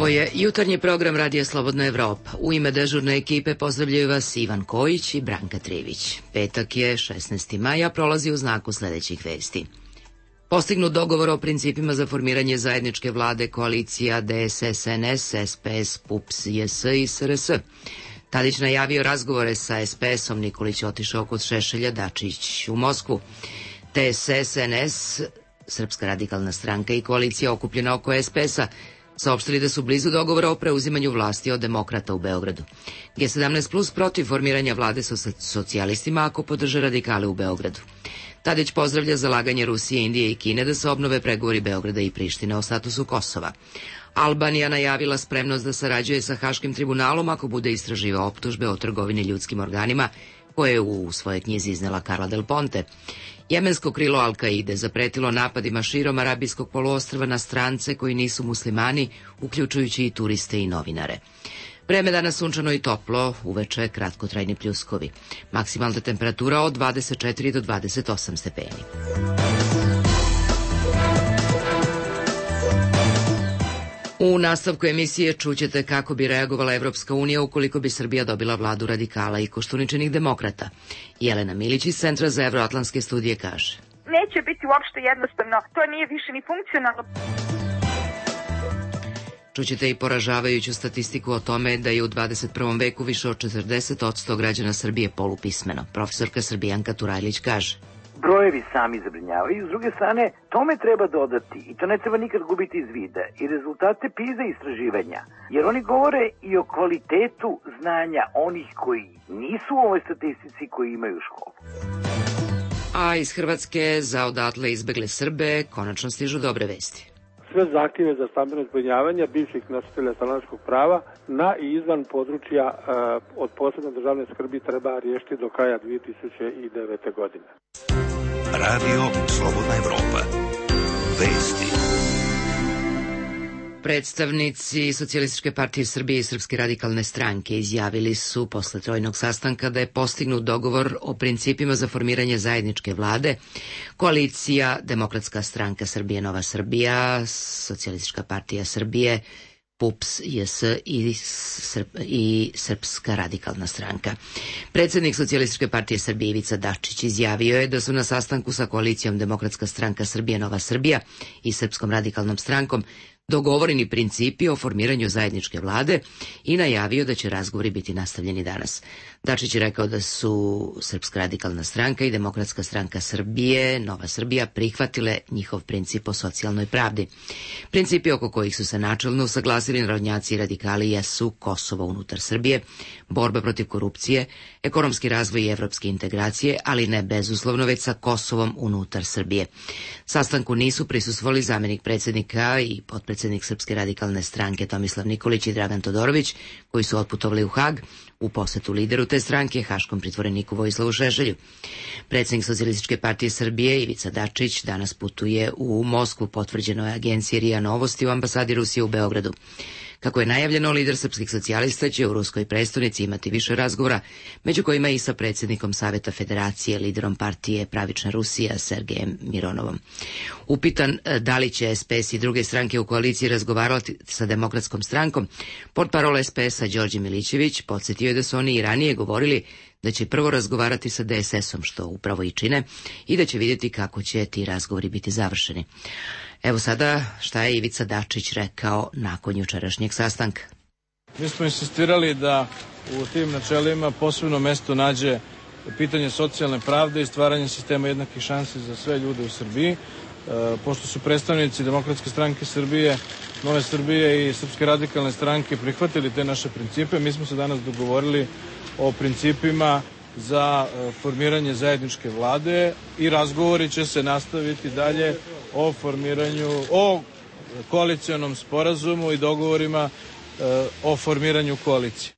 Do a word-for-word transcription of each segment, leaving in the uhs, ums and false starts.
Ovo je jutarnji program Radija Slobodna Evropa. U ime dežurne ekipe pozdravljaju vas Ivan Kojić i Branka Trivić. Petak je šesnaesti maja, prolazi u znaku sledećih vesti. Postignut dogovor o principima za formiranje zajedničke vlade koalicija D S S N S, S P S, P U P S, J S i S R S. Tadić najavio razgovore sa S P S-om, Nikolić otišao kod Šešelja, Dačić u Moskvu. D S S N S, Srpska radikalna stranka i koalicija okupljena oko S P S-a saopštili da su blizu dogovora o preuzimanju vlasti od demokrata u Beogradu. G sedamnaest plus protiv formiranja vlade sa socijalistima ako podrže radikale u Beogradu. Tadić pozdravlja zalaganje Rusije, Indije i Kine da se obnove pregovori Beograda i Prištine o statusu Kosova. Albanija najavila spremnost da sarađuje sa Haškim tribunalom ako bude istraživao optužbe o trgovini ljudskim organima koje je u svojoj knjizi iznela Carla Del Ponte. Jemensko krilo Al-Kaide zapretilo napadima širom Arabijskog poluostrva na strance koji nisu muslimani, uključujući i turiste i novinare. Vreme danas sunčano i toplo, uveče kratkotrajni pljuskovi. Maksimalna temperatura od dvadeset četiri do dvadeset osam stepeni. U nastavku emisije čućete kako bi reagovala Evropska unija ukoliko bi Srbija dobila vladu radikala i Koštuničinih demokrata. Jelena Milić iz Centra za evroatlantske studije kaže: Neće biti uopšte jednostavno, to nije više ni funkcionalno. Čućete i poražavajuću statistiku o tome da je u dvadeset prvom veku više od četrdeset posto građana Srbije polupismeno. Profesorka Srbijanka Turajlić kaže: Brojevi sami zabrinjavaju, s druge strane, tome treba dodati i to ne treba nikad gubiti iz vida i rezultate PISA istraživanja, jer oni govore i o kvalitetu znanja onih koji nisu u ovoj statistici koji imaju školu. A iz Hrvatske za odatle izbegle Srbe konačno stižu dobre vesti. Sve zahtjeve za stambeno zbrinjavanje bivših nositelja stanarskog prava na i izvan područja e, od posebne državne skrbi treba riješiti do kraja dve tisuće devete. godine. Radio Slobodna Evropa. Vesti. Predstavnici Socijalističke partije Srbije i Srpske radikalne stranke izjavili su posle trojnog sastanka da je postignut dogovor o principima za formiranje zajedničke vlade. Koalicija Demokratska stranka Srbije, Nova Srbija, Socijalistička partija Srbije, P U P S, J S i, Srp, i Srpska radikalna stranka. Predsednik Socijalističke partije Srbije Ivica Dačić izjavio je da su na sastanku sa koalicijom Demokratska stranka Srbije, Nova Srbija i Srpskom radikalnom strankom dogovoreni principi o formiranju zajedničke vlade i najavio da će razgovori biti nastavljeni danas. Dačić je rekao da su Srpska radikalna stranka i Demokratska stranka Srbije, Nova Srbija, prihvatile njihov princip o socijalnoj pravdi. Principi oko kojih su se načelno usaglasili narodnjaci i radikali jesu Kosovo unutar Srbije, borba protiv korupcije, ekonomski razvoj i evropske integracije, ali ne bezuslovno već sa Kosovom unutar Srbije. Sastanku nisu prisustvovali zamenik predsjednika i potpredsjednik Srpske radikalne stranke Tomislav Nikolić i Dragan Todorović, koji su otputovali u Hag u posetu lideru te stranke, haškom pritvoreniku Vojislavu Šešelju. Predsjednik Socijalističke partije Srbije Ivica Dačić danas putuje u Moskvu, potvrđeno je agencije R I A Novosti u ambasadi Rusije u Beogradu. Kako je najavljeno, lider srpskih socijalista će u ruskoj prestonici imati više razgovora, među kojima i sa predsjednikom Saveta Federacije, liderom partije Pravična Rusija, Sergejem Mironovom. Upitan da li će S P S i druge stranke u koaliciji razgovarati sa Demokratskom strankom, portparol S P S-a Đorđe Milićević podsjetio je da su oni i ranije govorili da će prvo razgovarati sa D S S-om, što upravo i čine, i da će vidjeti kako će ti razgovori biti završeni. Evo sada šta je Ivica Dačić rekao nakon jučerašnjeg sastanka. Mi smo insistirali da u tim načelima posebno mesto nađe pitanje socijalne pravde i stvaranje sistema jednakih šansi za sve ljude u Srbiji. E, pošto su predstavnici Demokratske stranke Srbije, Nove Srbije i Srpske radikalne stranke prihvatili te naše principe, mi smo se danas dogovorili o principima za formiranje zajedničke vlade i razgovori će se nastaviti dalje o formiranju, o koalicionom sporazumu i dogovorima e, o formiranju koalicije.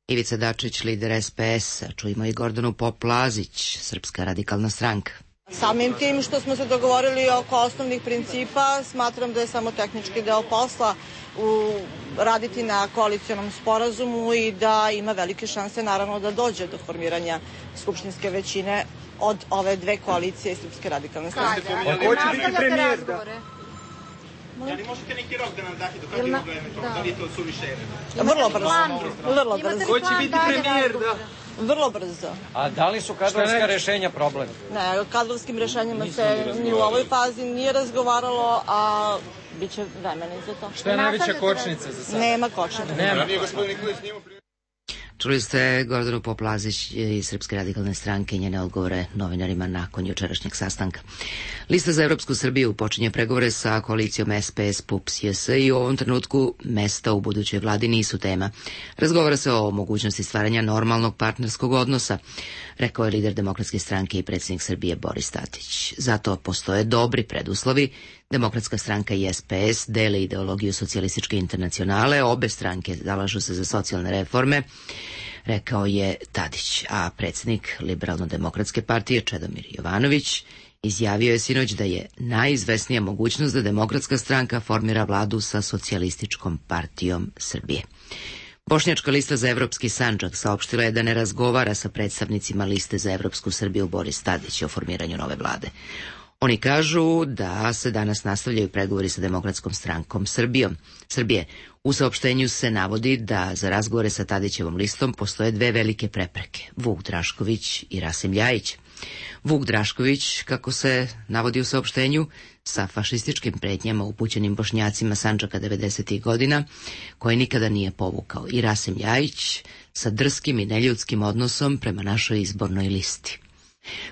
Ivica Dačić, lider S P S-a, čujemo i Gordanu Pop-Lazić, Srpska radikalna stranka. Samim tim što smo se dogovorili oko osnovnih principa, smatram da je samo tehnički deo posla u, raditi na koalicionom sporazumu i da ima velike šanse naravno da dođe do formiranja skupštinske većine od ove dve koalicije i Srpske radikalne stranke. A ko će biti premijer? Da? Da li možete neki rok da nam date do kada je mogla da li je to suviše? Vrlo brzo. Vrlo brzo. Ko će biti premijer? Da. Vrlo brzo. A da li su kadrovska rešenja problem? Ne, o kadrovskim rešenjima se ni u ovoj fazi nije razgovaralo, a bit će vremena za to. Šta je najveća kočnica za sada? Nema kočnica. Nema. Čuli ste Gordanu Poplazić iz Srpske radikalne stranke i njene odgovore novinarima nakon jučerašnjeg sastanka. Lista za Evropsku Srbiju počinje pregovore sa koalicijom S P S, P U P S, J S i u ovom trenutku mesta u budućoj vladi nisu tema. Razgovara se o mogućnosti stvaranja normalnog partnerskog odnosa, rekao je lider Demokratske stranke i predsjednik Srbije Boris Tadić. Zato postoje dobri preduslovi. Demokratska stranka i S P S dele ideologiju socijalističke internacionale, obe stranke zalažu se za socijalne reforme, rekao je Tadić, a predsjednik Liberalno-demokratske partije Čedomir Jovanović izjavio je sinoć da je najizvesnija mogućnost da Demokratska stranka formira vladu sa Socijalističkom partijom Srbije. Bošnjačka lista za Evropski Sandžak saopštila je da ne razgovara sa predstavnicima liste za Evropsku Srbiju Boris Tadić o formiranju nove vlade. Oni kažu da se danas nastavljaju pregovori sa Demokratskom strankom Srbijom. Srbije. U saopštenju se navodi da za razgovore sa Tadićevom listom postoje dve velike prepreke, Vuk Drašković i Rasim Ljajić. Vuk Drašković, kako se navodi u saopštenju, sa fašističkim pretnjama upućenim Bošnjacima Sandžaka devedesetih godina, koje nikada nije povukao, i Rasim Ljajić sa drskim i neljudskim odnosom prema našoj izbornoj listi.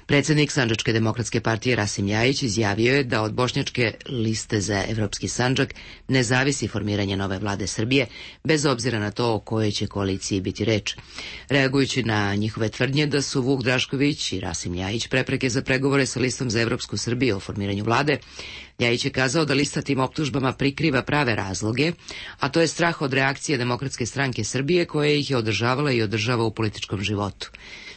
Predsjednik Sandžačke demokratske partije Rasim Ljajić izjavio je da od Bošnjačke liste za Evropski Sandžak ne zavisi formiranje nove vlade Srbije, bez obzira na to o kojoj će koaliciji biti reč. Reagujući na njihove tvrdnje da su Vuk Drašković i Rasim Ljajić prepreke za pregovore sa listom za Evropsku Srbiju o formiranju vlade, Ljajić je kazao da lista tim optužbama prikriva prave razloge, a to je strah od reakcije Demokratske stranke Srbije koja ih je održavala i održava u političkom životu.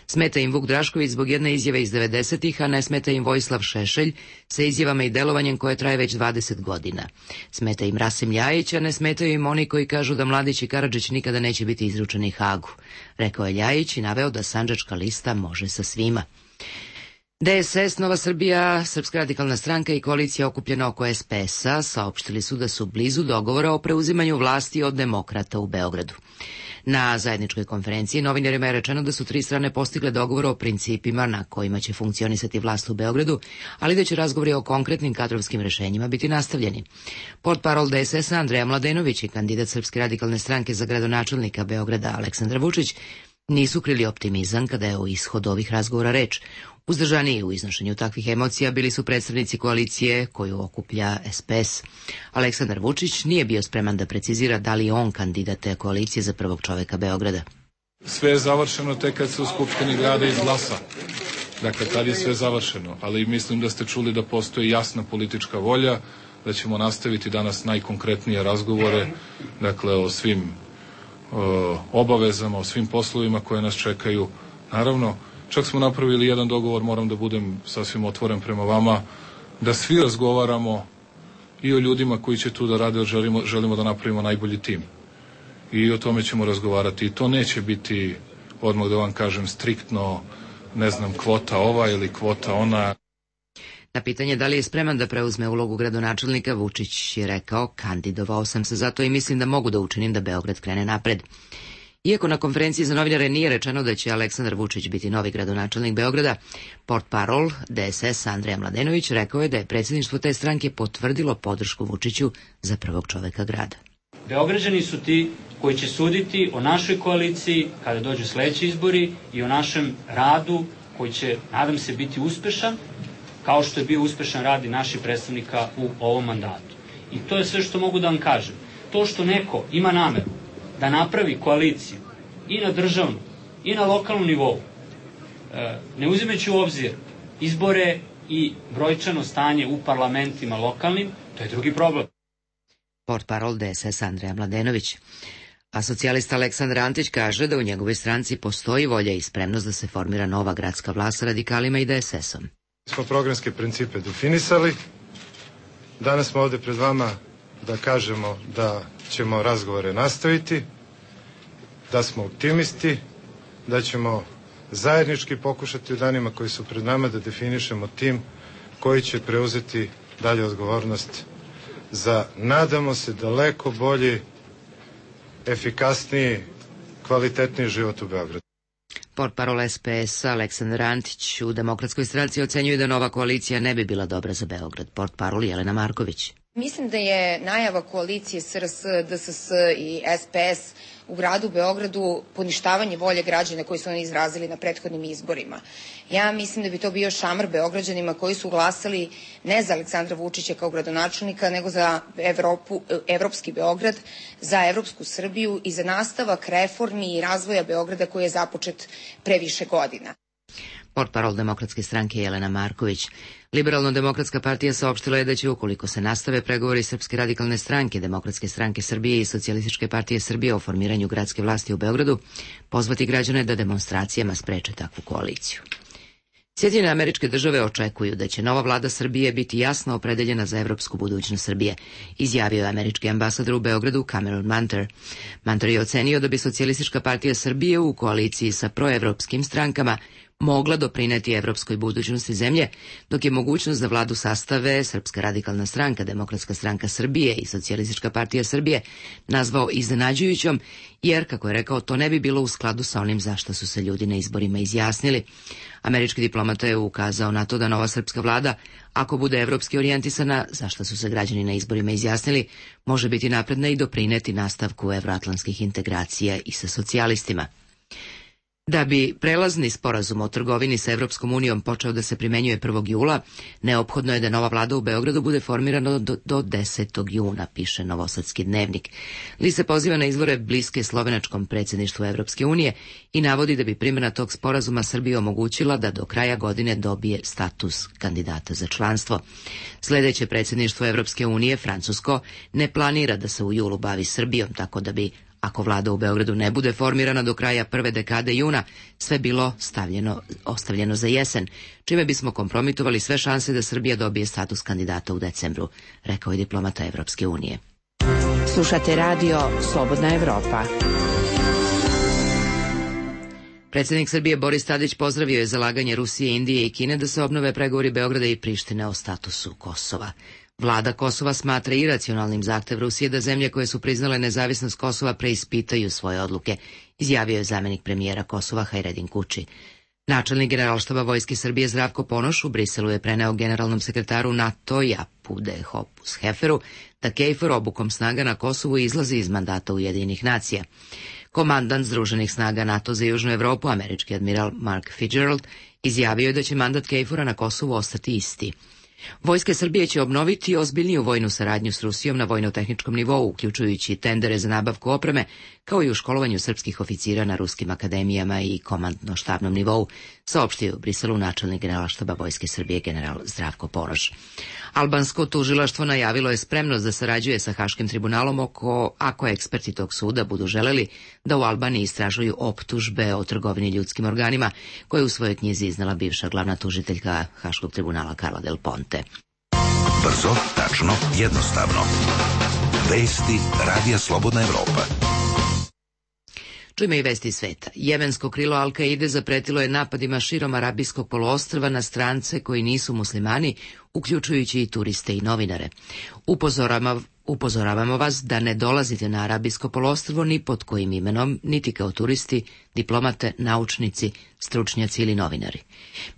Smeta im Vuk Drašković zbog jedne izjave iz devedesetih, a ne smeta im Vojislav Šešelj sa izjavama i delovanjem koje traje već dvadeset godina. Smeta im Rasim Ljajić, a ne smetaju im oni koji kažu da Mladić i Karadžić nikada neće biti izručeni Hagu, rekao je Ljajić i naveo da Sandžačka lista može sa svima. D S S, Nova Srbija, Srpska radikalna stranka i koalicija okupljena oko S P S-a saopštili su da su blizu dogovora o preuzimanju vlasti od demokrata u Beogradu. Na zajedničkoj konferenciji novinarima je rečeno da su tri strane postigle dogovor o principima na kojima će funkcionisati vlast u Beogradu, ali da će razgovori o konkretnim kadrovskim rešenjima biti nastavljeni. Portparol D S S-a Andreja Mladenović i kandidat Srpske radikalne stranke za gradonačelnika Beograda Aleksandar Vučić nisu krili optimizam kada je o ishodu ovih razgovora reč. Uzdržaniji u iznošenju takvih emocija bili su predstavnici koalicije koju okuplja S P S. Aleksandar Vučić nije bio spreman da precizira da li je on kandidat te koalicije za prvog čoveka Beograda. Sve je završeno tek kad se u Skupštini grada izglasa. Dakle, tad je sve završeno, ali mislim da ste čuli da postoji jasna politička volja, da ćemo nastaviti danas najkonkretnije razgovore, dakle, o svim o, obavezama, o svim poslovima koje nas čekaju. Naravno, čak smo napravili jedan dogovor, moram da budem sasvim otvoren prema vama, da svi razgovaramo i o ljudima koji će tu da rade, želimo, želimo da napravimo najbolji tim. I o tome ćemo razgovarati. I to neće biti, odmah da vam kažem, striktno, ne znam, kvota ova ili kvota ona. Na pitanje da li je spreman da preuzme ulogu gradonačelnika, Vučić je rekao: kandidovao sam se zato i mislim da mogu da učinim da Beograd krene napred. Iako na konferenciji za novinare nije rečeno da će Aleksandar Vučić biti novi gradonačelnik Beograda, portparol D S S Andreja Mladenović rekao je da je predsjedništvo te stranke potvrdilo podršku Vučiću za prvog čoveka grada. Beograđani su ti koji će suditi o našoj koaliciji kada dođu sledeći izbori i o našem radu koji će, nadam se, biti uspešan, kao što je bio uspešan rad i naših predstavnika u ovom mandatu. I to je sve što mogu da vam kažem. To što neko ima nameru da napravi koaliciju i na državnom i na lokalnom nivou, ne uzimajući u obzir izbore i brojčano stanje u parlamentima lokalnim, to je drugi problem. Portparol D S S Andreja Mladenović. A socijalista Aleksandar Antić kaže da u njegovoj stranci postoji volja i spremnost da se formira nova gradska vlast sa radikalima i D S S-om. Smo programske principe definisali. Danas smo ovde pred vama da kažemo da ćemo razgovore nastaviti, da smo optimisti, da ćemo zajednički pokušati u danima koji su pred nama da definišemo tim koji će preuzeti dalje odgovornost za, nadamo se, daleko bolji, efikasniji, kvalitetniji život u Beogradu. Portparol S P S-a Aleksandar Antić u Demokratskoj stranci ocenjuje da nova koalicija ne bi bila dobra za Beograd. Portparol Jelena Marković. Mislim da je najava koalicije S R S, D S S i S P S u gradu Beogradu poništavanje volje građana koji su oni izrazili na prethodnim izborima. Ja mislim da bi to bio šamar Beograđanima koji su glasali ne za Aleksandra Vučića kao gradonačelnika, nego za Evropu, evropski Beograd, za evropsku Srbiju i za nastavak reformi i razvoja Beograda koji je započet pre više godina. Portparol Demokratske stranke Jelena Marković. Liberalno-demokratska partija saopštila je da će, ukoliko se nastave pregovori Srpske radikalne stranke, Demokratske stranke Srbije i Socijalističke partije Srbije o formiranju gradske vlasti u Beogradu, pozvati građane da demonstracijama spreče takvu koaliciju. Sjedinjene Američke Države očekuju da će nova vlada Srbije biti jasno opredeljena za evropsku budućnost Srbije, izjavio je američki ambasador u Beogradu Cameron Manter. Manter je ocenio da bi Socijalistička partija Srbije u koaliciji sa proevropskim strankama mogla doprineti evropskoj budućnosti zemlje, dok je mogućnost da vladu sastave Srpska radikalna stranka, Demokratska stranka Srbije i Socijalistička partija Srbije nazvao iznenađujućom, jer, kako je rekao, to ne bi bilo u skladu sa onim zašto su se ljudi na izborima izjasnili. Američki diplomata je ukazao na to da nova srpska vlada, ako bude evropski orijentisana, zašto su se građani na izborima izjasnili, može biti napredna i doprineti nastavku evroatlantskih integracija i sa socijalistima. Da bi prelazni sporazum o trgovini sa Evropskom unijom počeo da se primenjuje prvog jula, neophodno je da nova vlada u Beogradu bude formirana do, do desetog juna, piše Novosadski dnevnik. List se poziva na izvore bliske slovenačkom predsjedništvu Evropske unije i navodi da bi primjena tog sporazuma Srbiji omogućila da do kraja godine dobije status kandidata za članstvo. Sljedeće predsjedništvo Evropske unije, Francusko, ne planira da se u julu bavi Srbijom, tako da bi, ako vlada u Beogradu ne bude formirana do kraja prve dekade juna, sve bilo stavljeno, ostavljeno za jesen, čime bismo kompromitovali sve šanse da Srbija dobije status kandidata u decembru, rekao je diplomata Evropske unije. Slušate radio Slobodna Evropa. Predsjednik Srbije Boris Tadić pozdravio je zalaganje Rusije, Indije i Kine da se obnove pregovori Beograda i Prištine o statusu Kosova. Vlada Kosova smatra iracionalnim zahtev Rusije da zemlje koje su priznale nezavisnost Kosova preispitaju svoje odluke, izjavio je zamenik premijera Kosova Hajredin Kuči. Načelnik Generalštaba Vojske Srbije Zdravko Ponoš u Briselu je preneo generalnom sekretaru NATO-a Pude Hopus Heferu da KFOR obukom snaga na Kosovu izlazi iz mandata Ujedinjenih nacija. Komandant Združenih snaga NATO za Južnu Evropu, američki admiral Mark Fitzgerald, izjavio je da će mandat KFOR-a na Kosovu ostati isti. Vojske Srbije će obnoviti ozbiljniju vojnu saradnju s Rusijom na vojno-tehničkom nivou, uključujući tendere za nabavku opreme, kao i u školovanju srpskih oficira na ruskim akademijama i komandno-štabnom nivou, saopštio u Briselu načelnik Generalštaba Vojske Srbije general Zdravko Ponoš. Albansko tužilaštvo najavilo je spremnost da sarađuje sa Haškim tribunalom oko, ako eksperti tog suda budu želeli da u Albaniji istražuju optužbe o trgovini ljudskim organima, koje je u svojoj knjizi iznala bivša glavna tužiteljka Haškog tribunala Carla Del Ponte. Brzo, tačno, jednostavno. Vesti Radija Slobodna Evropa. Čujme i vesti iz sveta. Jemensko krilo Al-Kaide zapretilo je napadima širom Arabijskog poluostrva na strance koji nisu muslimani, uključujući i turiste i novinare. Upozoravamo, upozoravamo vas da ne dolazite na Arabijsko poluostrvo ni pod kojim imenom, niti kao turisti, diplomate, naučnici, stručnjaci ili novinari.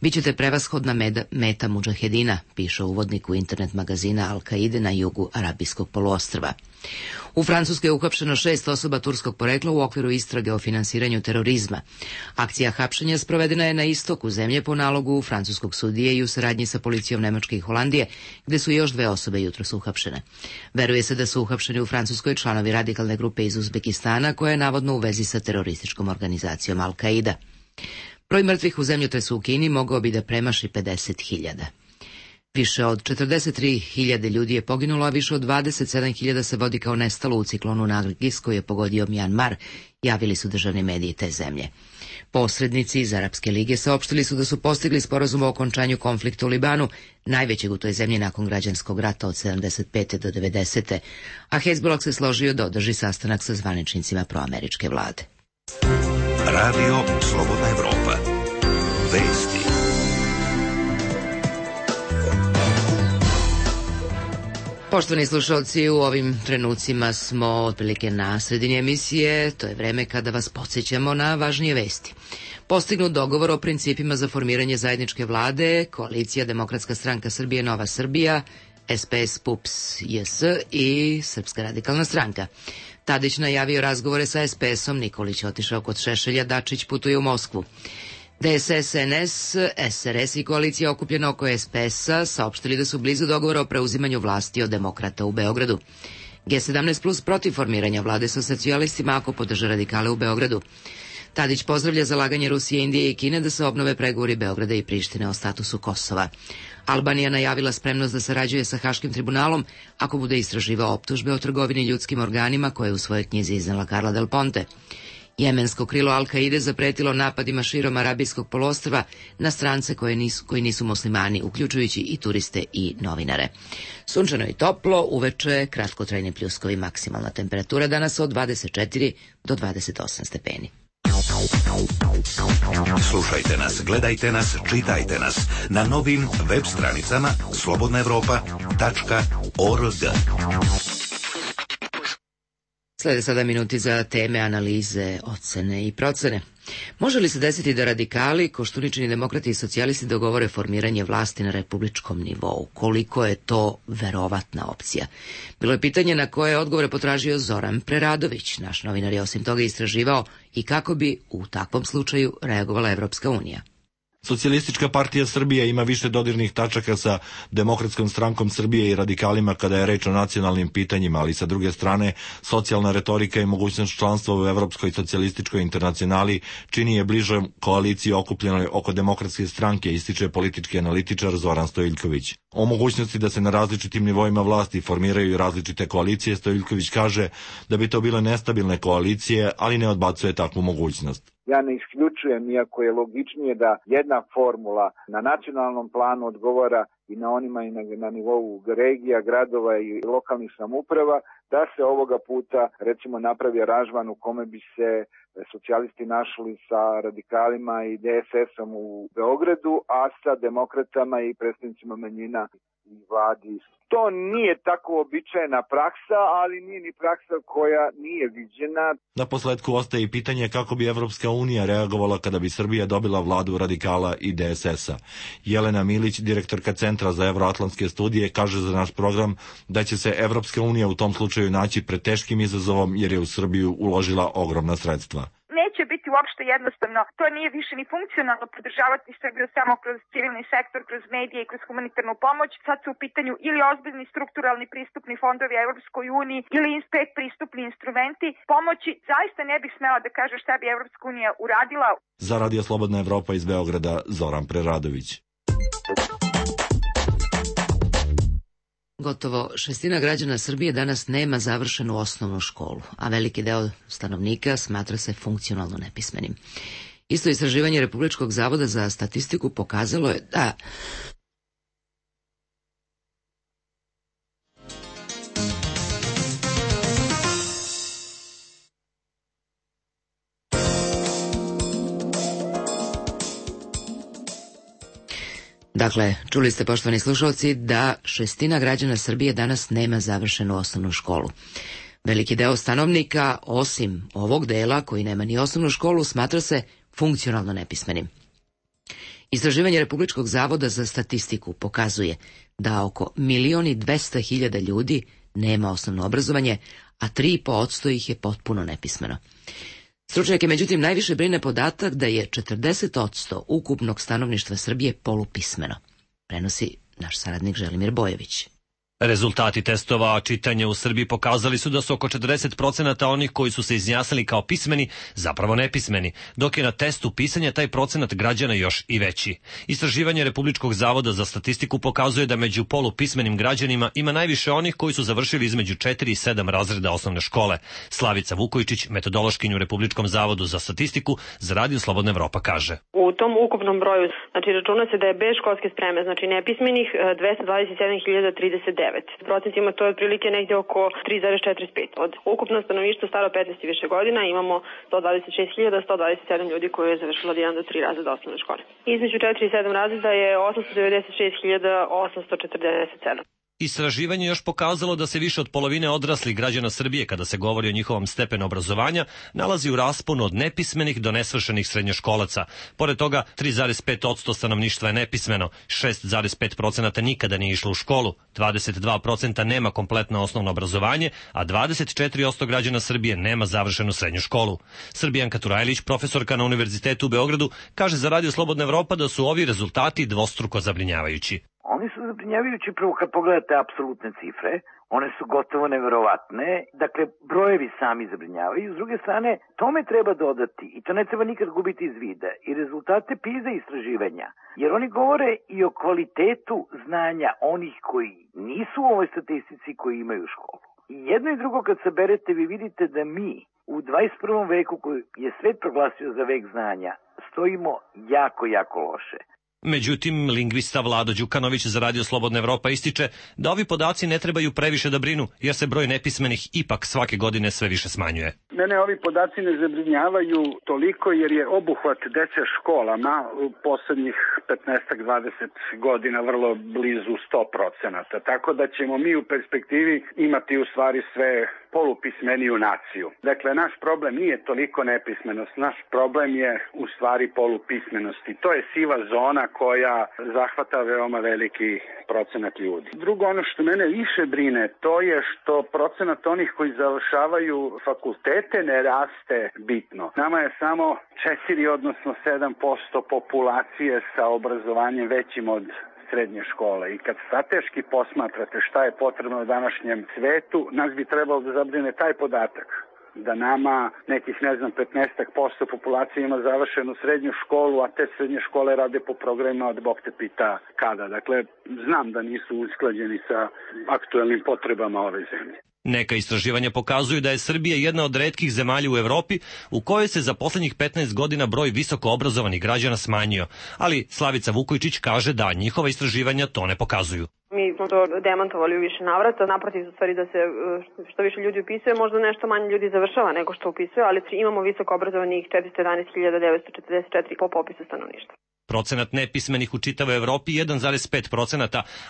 Bićete prevashodna meda, meta mudžahedina, piše u uvodniku internet magazina Al-Kaide na jugu Arabijskog poluostrva. U Francuskoj je uhapšeno šest osoba turskog porekla u okviru istrage o finansiranju terorizma. Akcija hapšenja sprovedena je na istoku zemlje po nalogu francuskog sudije i u saradnji sa policijom Nemačke i Holandije, gde su još dve osobe jutros uhapšene. Veruje se da su uhapšeni u Francuskoj članovi radikalne grupe iz Uzbekistana, koja je navodno u vezi sa terorističkom organizacijom Al-Kaida. Broj mrtvih u zemljotresu u Kini mogao bi da premaši pedeset hiljada. Više od četrdeset tri hiljade ljudi je poginulo, a više od dvadeset sedam hiljada se vodi kao nestalo u ciklonu Nargis koji je pogodio Mjanmar, javili su državni mediji te zemlje. Posrednici iz Arapske lige saopštili su da su postigli sporazum o okončanju konflikta u Libanu, najvećeg u toj zemlji nakon građanskog rata od sedamdeset pete do devedesete. a Hezbollah se složio da održi sastanak sa zvaničnicima proameričke vlade. Radio Slobodna Evropa. Vesti. Poštovani slušalci, u ovim trenucima smo otprilike na sredini emisije, to je vreme kada vas podsjećamo na važnije vesti. Postignut dogovor o principima za formiranje zajedničke vlade, Koalicija Demokratska stranka Srbije Nova Srbija, S P S P U P S J S i Srpska radikalna stranka. Tadić najavio razgovore sa S P S-om, Nikolić otišao kod Šešelja, Dačić putuje u Moskvu. D S S, N S, S R S i koalicija okupljena oko S P S-a saopštili da su blizu dogovora o preuzimanju vlasti od demokrata u Beogradu. G sedamnaest plus protiv formiranja vlade sa socijalistima ako podrža radikale u Beogradu. Tadić pozdravlja zalaganje Rusije, Indije i Kine da se obnove pregovori Beograda i Prištine o statusu Kosova. Albanija najavila spremnost da sarađuje sa Haškim tribunalom ako bude istraživao optužbe o trgovini ljudskim organima koje je u svojoj knjizi iznala Carla Del Ponte. Jemensko krilo Al-Kaide zapretilo napadima širom Arabijskog poluostrva na strance koje nisu, koji nisu muslimani, uključujući i turiste i novinare. Sunčano i toplo, uveče kratkotrajni pljuskovi, maksimalna temperatura danas od dvadeset četiri do dvadeset osam stepeni. Slušajte nas, gledajte nas, čitajte nas na novim web stranicama slobodna evropa tačka org. Slede sada minuti za teme, analize, ocene i procene. Može li se desiti da radikali, Koštuničini demokrati i socijalisti dogovore formiranje vlasti na republičkom nivou? Koliko je to verovatna opcija? Bilo je pitanje na koje odgovore potražio Zoran Preradović. Naš novinar je osim toga istraživao i kako bi u takvom slučaju reagovala Evropska unija. Socijalistička partija Srbije ima više dodirnih tačaka sa Demokratskom strankom Srbije i radikalima kada je reč o nacionalnim pitanjima, ali sa druge strane socijalna retorika i mogućnost članstva u Evropskoj socijalističkoj internacionali čini je bližom koaliciji okupljenoj oko Demokratske stranke, ističe politički analitičar Zoran Stojiljković. O mogućnosti da se na različitim nivoima vlasti formiraju različite koalicije, Stojiljković kaže da bi to bile nestabilne koalicije, ali ne odbacuje takvu mogućnost. Ja ne isključujem, iako je logičnije da jedna formula na nacionalnom planu odgovara i na onima i na, na nivou regija, gradova i lokalnih samouprava, da se ovoga puta recimo napravi aranžman u kome bi se socijalisti našli sa radikalima i D S S-om u Beogradu, a sa demokratama i predstavnicima manjina i vladi. To nije tako običajna praksa, ali nije ni praksa koja nije viđena. Na posledku ostaje i pitanje kako bi Evropska unija reagovala kada bi Srbija dobila vladu radikala i D S S-a. Jelena Milić, direktorka Centra za evroatlantske studije, kaže za naš program da će se Evropska unija u tom slučaju naći pred teškim izazovom jer je u Srbiju uložila ogromna sredstva. Neće biti uopšte jednostavno. To nije više ni funkcionalno podržavati Srbiju samo kroz civilni sektor, kroz medije i kroz humanitarnu pomoć. Sad su u pitanju ili ozbiljni strukturalni pristupni fondovi Evropskoj uniji ili pet pristupni instrumenti pomoći. Zaista ne bih smela da kažem šta bi Evropska unija uradila. Za Radio Slobodna Evropa iz Beograda, Zoran Preradović. Gotovo šestina građana Srbije danas nema završenu osnovnu školu, a veliki deo stanovnika smatra se funkcionalno nepismenim. Isto istraživanje Republičkog zavoda za statistiku pokazalo je da Dakle, čuli ste, poštovani slušalci, da šestina građana Srbije danas nema završenu osnovnu školu. Veliki deo stanovnika, osim ovog dela koji nema ni osnovnu školu, smatra se funkcionalno nepismenim. Istraživanje Republičkog zavoda za statistiku pokazuje da oko milion i dvesta hiljada ljudi nema osnovno obrazovanje, a tri i po posto ih je potpuno nepismeno. Stručnjake, međutim, najviše brine podatak da je četrdeset posto ukupnog stanovništva Srbije polupismeno, prenosi naš saradnik Želimir Bojević. Rezultati testova čitanja u Srbiji pokazali su da su oko četrdeset procenata onih koji su se izjasnili kao pismeni zapravo nepismeni, dok je na testu pisanja taj procenat građana još i veći. Istraživanje Republičkog zavoda za statistiku pokazuje da među polupismenim građanima ima najviše onih koji su završili između četiri i sedam razreda osnovne škole. Slavica Vukojičić, metodološkinju u Republičkom zavodu za statistiku, za Radio Slobodna Evropa kaže. U tom ukupnom broju, znači računa se da je bez školske spreme, znači nepismenih dvesta dvadeset sedam hiljada trideset devet. Procentima to je otprilike negdje oko tri zarez četrdeset pet. Od ukupno stanovništva staro petnaest i više godina imamo sto dvadeset šest hiljada sto dvadeset sedam ljudi koji je završilo od jedan do tri razreda osnovne škole. Između četiri i sedam razreda je osamsto devedeset šest hiljada osamsto četrdeset sedam. Istraživanje još pokazalo da se više od polovine odraslih građana Srbije, kada se govori o njihovom stepenu obrazovanja, nalazi u rasponu od nepismenih do nesvršenih srednjoškolaca. Pored toga, tri zarez pet posto stanovništva je nepismeno, šest zarez pet posto nikada nije išlo u školu, dvadeset dva posto nema kompletno osnovno obrazovanje, a dvadeset četiri posto građana Srbije nema završenu srednju školu. Srbijanka Turajlić, profesorka na Univerzitetu u Beogradu, kaže za Radio Slobodna Evropa da su ovi rezultati dvostruko zabrinjavajući. Oni su zabrinjavajući prvo kad pogledate apsolutne cifre, one su gotovo neverovatne, dakle brojevi sami zabrinjavaju, s druge strane tome treba dodati i to ne treba nikad gubiti iz vida i rezultate PISA istraživanja, jer oni govore i o kvalitetu znanja onih koji nisu u ovoj statistici koji imaju školu. I jedno i drugo kad saberete vi vidite da mi u dvadeset prvom veku koji je svet proglasio za vek znanja stojimo jako, jako loše. Međutim, lingvista Vlado Đukanović za Radio Slobodna Evropa ističe da ovi podaci ne trebaju previše da brinu, jer se broj nepismenih ipak svake godine sve više smanjuje. Mene ovi podaci ne zabrinjavaju toliko jer je obuhvat dece školama u poslednjih petnaest do dvadeset godina vrlo blizu sto procenata. Tako da ćemo mi u perspektivi imati u stvari sve polupismeniju naciju. Dakle, naš problem nije toliko nepismenost, naš problem je u stvari polupismenost i to je siva zona koja zahvata veoma veliki procenat ljudi. Drugo, ono što mene više brine, to je što procenat onih koji završavaju fakultete ne raste bitno. Nama je samo četiri odnosno sedam posto populacije sa obrazovanjem većim od srednje škole i kad strateški posmatrate šta je potrebno u današnjem svetu, nas bi trebalo da zabrine taj podatak. Da nama nekih, ne znam, petnaest posto populacije ima završenu srednju školu, a te srednje škole rade po programima od Bog te pita kada. Dakle, znam da nisu usklađeni sa aktuelnim potrebama ove zemlje. Neka istraživanja pokazuju da je Srbija jedna od retkih zemalja u Evropi u kojoj se za poslednjih petnaest godina broj visoko obrazovanih građana smanjio, ali Slavica Vukojičić kaže da njihova istraživanja to ne pokazuju. Mi smo to demantovali u više navrata, naprotiv u stvari da se što više ljudi upisuje, možda nešto manje ljudi završava nego što upisuje, ali imamo visoko obrazovanih četiristo jedanaest hiljada devetsto četrdeset četiri po popisu stanovništva. Procenat nepismenih u čitavoj Evropi jedan zarez pet posto,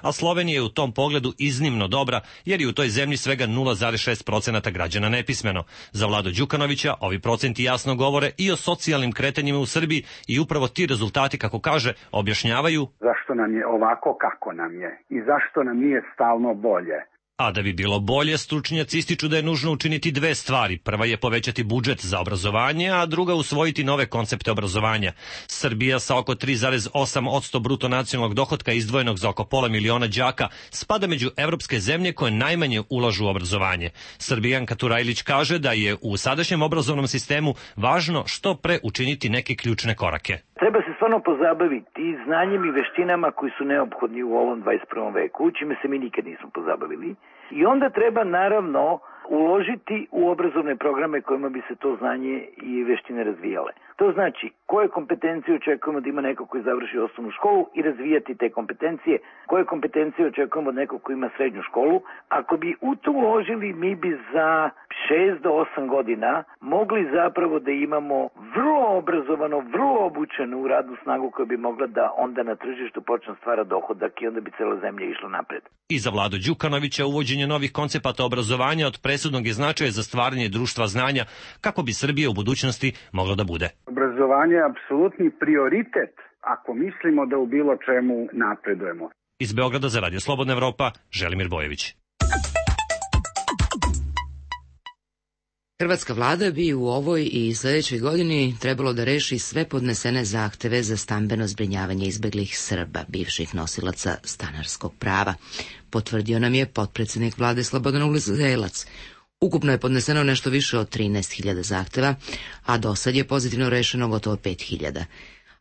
a Slovenija je u tom pogledu iznimno dobra, jer je u toj zemlji svega nula zarez šest posto građana nepismeno. Za Vlado Đukanovića ovi procenti jasno govore i o socijalnim kretanjima u Srbiji i upravo ti rezultati, kako kaže, objašnjavaju zašto nam je ovako kako nam je i zašto nam nije stalno bolje. A da bi bilo bolje, stručnjaci ističu da je nužno učiniti dve stvari. Prva je povećati budžet za obrazovanje, a druga usvojiti nove koncepte obrazovanja. Srbija sa oko tri zarez osam posto bruto nacionalnog dohotka izdvojenog za oko pola miliona đaka spada među evropske zemlje koje najmanje ulažu u obrazovanje. Srbijanka Turajlić kaže da je u sadašnjem obrazovnom sistemu važno što pre učiniti neke ključne korake. Treba se stvarno pozabaviti znanjem i veštinama koji su neophodni u ovom dvadeset prvom veku, čime se mi nikad nismo pozabavili. I onda treba naravno uložiti u obrazovne programe kojima bi se to znanje i veštine razvijale. To znači koje kompetencije očekujemo da ima neko koji završi osnovnu školu i razvijati te kompetencije, koje kompetencije očekujemo od nekog koji ima srednju školu. Ako bi u to uložili, mi bi za šest do osam godina mogli zapravo da imamo vrlo obrazovano, vrlo obučenu radnu snagu koja bi mogla da onda na tržištu počne stvara dohodak i onda bi cela zemlja išla napred. I za Vladu Đukanovića uvođenje novih koncepata obrazovanja od presudnog je značaja za stvaranje društva znanja kako bi Srbija u budućnosti mogla da bude. Obrazovanje je apsolutni prioritet ako mislimo da u bilo čemu napredujemo. Iz Beograda za Radio Slobodna Evropa, Želimir Bojević. Hrvatska vlada bi u ovoj i sledećoj godini trebalo da reši sve podnesene zahteve za stambeno zbrinjavanje izbeglih Srba, bivših nosilaca stanarskog prava, potvrdio nam je potpredsednik vlade Slobodan Uzelac. Ukupno je podneseno nešto više od trinaest hiljada zahteva, a do sad je pozitivno rešeno gotovo pet hiljada.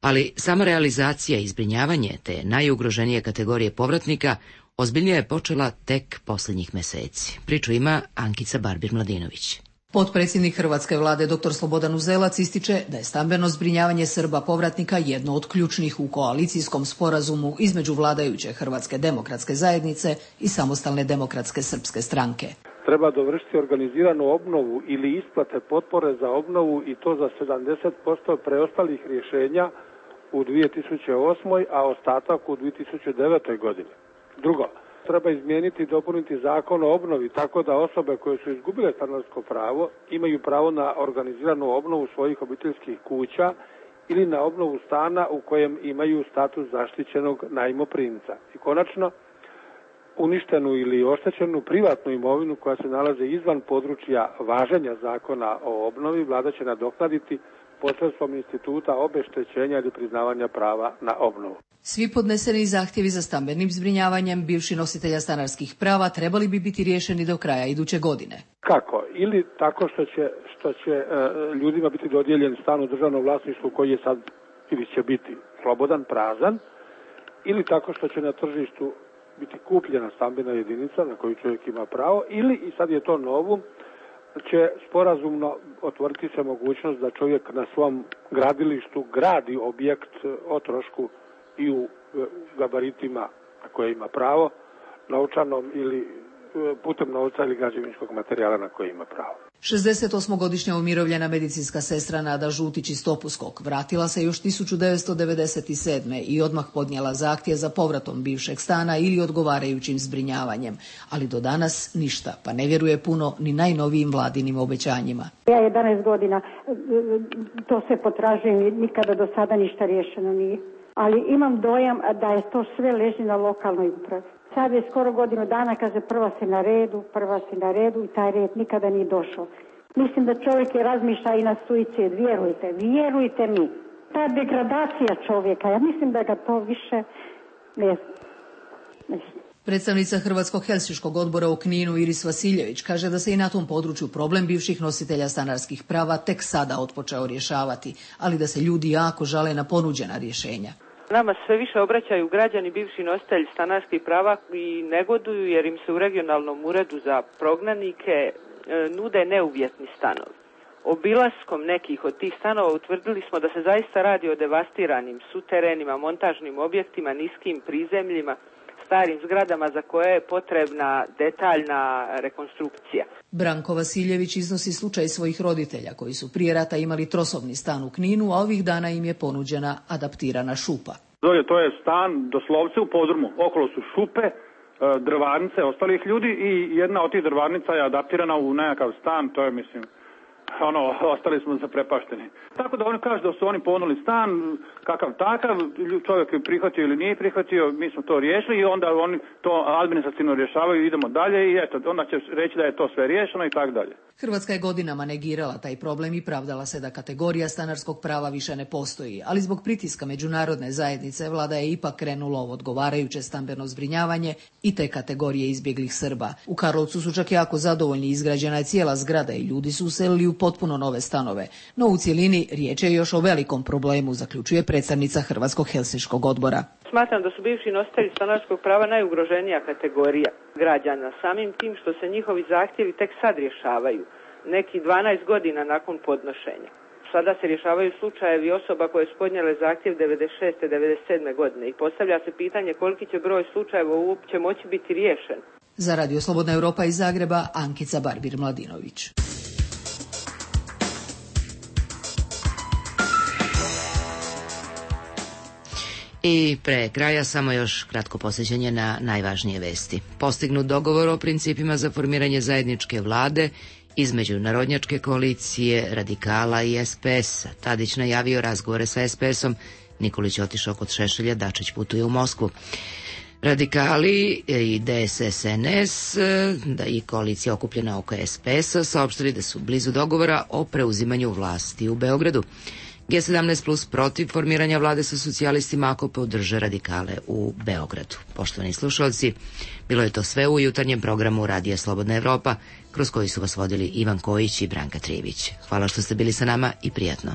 Ali sama realizacija i zbrinjavanje te najugroženije kategorije povratnika ozbiljnije je počela tek poslednjih meseci. Priču ima Ankica Barbir-Mladinović. Potpredsjednik Hrvatske vlade dr Slobodan Uzelac ističe da je stambeno zbrinjavanje Srba povratnika jedno od ključnih u koalicijskom sporazumu između vladajuće Hrvatske demokratske zajednice i Samostalne demokratske srpske stranke. Treba dovršiti organiziranu obnovu ili isplate potpore za obnovu i to za sedamdeset posto preostalih rješenja u dvije tisuće osmoj. a ostatak u dvije tisuće devetoj. godini. Drugo, Treba izmijeniti i dopuniti zakon o obnovi tako da osobe koje su izgubile stanarsko pravo imaju pravo na organiziranu obnovu svojih obiteljskih kuća ili na obnovu stana u kojem imaju status zaštićenog najmoprimca. I konačno, uništenu ili oštećenu privatnu imovinu koja se nalazi izvan područja važenja zakona o obnovi, vlada će nadoknaditi posredstvom instituta obeštećenja ili priznavanja prava na obnovu. Svi podneseni zahtjevi za stambenim zbrinjavanjem bivših nositelja stanarskih prava trebali bi biti riješeni do kraja iduće godine. Kako? Ili tako što će, što će e, ljudima biti dodijeljen stan u državnom vlasništvu koji je sad ili će biti slobodan, prazan, ili tako što će na tržištu biti kupljena stambena jedinica na koju čovjek ima pravo, ili, i sad je to novo, će sporazumno otvoriti se mogućnost da čovjek na svom gradilištu gradi objekt o trošku i u gabaritima na koje ima pravo, novčanom ili putem novca ili građevinskog materijala na koje ima pravo. šezdesetosmogodišnja umirovljena medicinska sestra Nada Žutić iz Topuskog vratila se još tisuću devetsto devedeset sedme. i odmah podnijela zahtjev za povratom bivšeg stana ili odgovarajućim zbrinjavanjem, ali do danas ništa, pa ne vjeruje puno ni najnovijim vladinim obećanjima. Ja jedanaest godina to se potražujem i nikada do sada ništa riješeno nije, ali imam dojam da je to sve leži na lokalnoj upravi. Sad je skoro godinu dana, kaže prva si na redu, prva si na redu i taj red nikada nije došao. Mislim da čovjek je razmišlja i na suicid, vjerujte, vjerujte mi. Ta degradacija čovjeka, ja mislim da ga to više ne znam. Predstavnica Hrvatskog helsinškog odbora u Kninu Iris Vasiljević kaže da se i na tom području problem bivših nositelja stanarskih prava tek sada otpočeo rješavati, ali da se ljudi jako žale na ponuđena rješenja. Nama sve više obraćaju građani bivši nositelji stanarskih prava i negoduju jer im se u regionalnom uredu za prognanike e, nude neuvjetni stanovi. Obilaskom nekih od tih stanova utvrdili smo da se zaista radi o devastiranim suterenima, montažnim objektima, niskim prizemljima, starim zgradama za koje je potrebna detaljna rekonstrukcija. Branko Vasiljević iznosi slučaj svojih roditelja koji su prije rata imali trosobni stan u Kninu, a ovih dana im je ponuđena adaptirana šupa. To je stan doslovce u podrumu. Okolo su šupe, drvarnice ostalih ljudi i jedna od tih drvarnica je adaptirana u nekakav stan, to je mislim... ono, ostali smo zaprepašteni. Tako da oni kažu da su oni ponuli stan, kakav takav, čovjek je prihvatio ili nije prihvatio, mi smo to riješili i onda oni to administrativno rješavaju i idemo dalje i eto, onda će reći da je to sve riješeno i tako dalje. Hrvatska je godinama negirala taj problem i pravdala se da kategorija stanarskog prava više ne postoji, ali zbog pritiska međunarodne zajednice vlada je ipak krenula u odgovarajuće stambeno zbrinjavanje i te kategorije izbjeglih Srba. U Karlovcu su čak jako zadovoljni, izgrađena je cijela zgrada i ljudi su uselili u potpuno nove stanove, no u cjelini riječ je još o velikom problemu, zaključuje predstavnica Hrvatskog helsinškog odbora. Smatram da su bivši nositelji stanarskog prava najugroženija kategorija građana, samim tim što se njihovi zahtjevi tek sad rješavaju, neki dvanaest godina nakon podnošenja. Sada se rješavaju slučajevi osoba koje su podnijele zahtjev devedeset šeste devedeset sedme godine i postavlja se pitanje koliki će broj slučajeva uopće moći biti riješen. Za Radio Slobodna Europa iz Zagreba, Ankica Barbir Mladinović. I pre kraja samo još kratko posjećanje na najvažnije vesti. Postignut dogovor o principima za formiranje zajedničke vlade između Narodnjačke koalicije, Radikala i es pe es. Tadić najavio razgovore sa es pe esom, Nikolić otišao kod Šešelja, Dačić putuje u Moskvu. Radikali i de es es en es da i koalicija okupljena oko es pe esa saopštili da su blizu dogovora o preuzimanju vlasti u Beogradu. ge sedamnaest plus protiv formiranja vlade sa socijalistima ako podrže radikale u Beogradu. Poštovani slušalci, bilo je to sve u jutarnjem programu Radija Slobodna Evropa, kroz koji su vas vodili Ivan Kojić i Branka Trijević. Hvala što ste bili sa nama i prijatno.